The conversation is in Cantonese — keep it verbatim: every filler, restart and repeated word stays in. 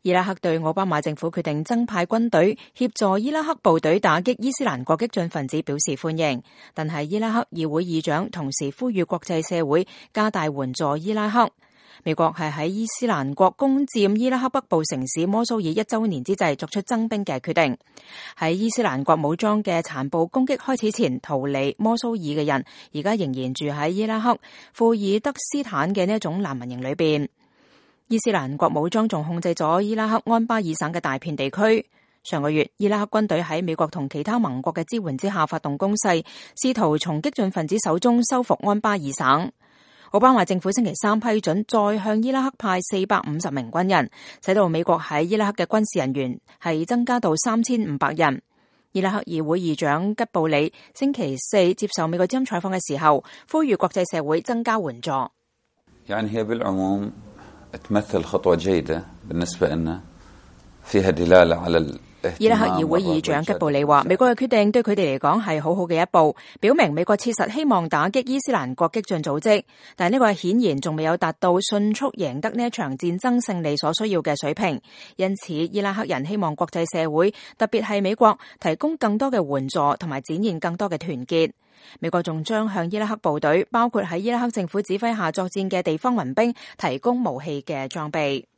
伊拉克對奧巴馬政府決定增派軍隊協助伊拉克部隊打擊伊斯蘭國激進分子表示歡迎，但係伊拉克議會議長同時呼籲國際社會加大援助伊拉克。美國係喺伊斯蘭國攻佔伊拉克北部城市摩蘇爾一周年之際作出增兵嘅決定。喺伊斯蘭國武裝嘅殘暴攻擊開始前逃離摩蘇爾嘅人，而家仍然住喺伊拉克庫爾德斯坦嘅呢一種難民營裏邊。伊斯蘭國武裝仲控制咗伊拉克安巴爾省嘅大片地區。上個月，伊拉克軍隊喺美國同其他盟國嘅支援之下發動攻勢，試圖從激進分子手中收復安巴爾省。奧巴馬政府星期三批准再向伊拉克派四百五十名軍人，使到美國喺伊拉克嘅軍事人員係增加到三千五百人。伊拉克議會議長吉布里星期四接受美國之音採訪嘅時候，呼籲國際社會增加援助。تمثل خطوة جيدة بالنسبة لنا فيها دلالة على伊拉克議會議長吉布里話，美國嘅決定對佢哋嚟講係好好嘅一步，表明美國切實希望打擊伊斯蘭國激進組織，但係呢個顯然仲未有達到迅速贏得呢一場戰爭勝利所需要嘅水平。因此，伊拉克人希望國際社會，特別係美國，提供更多嘅援助同埋展現更多嘅團結。美國仲將向伊拉克部隊，包括喺伊拉克政府指揮下作戰嘅地方民兵，提供武器嘅裝備。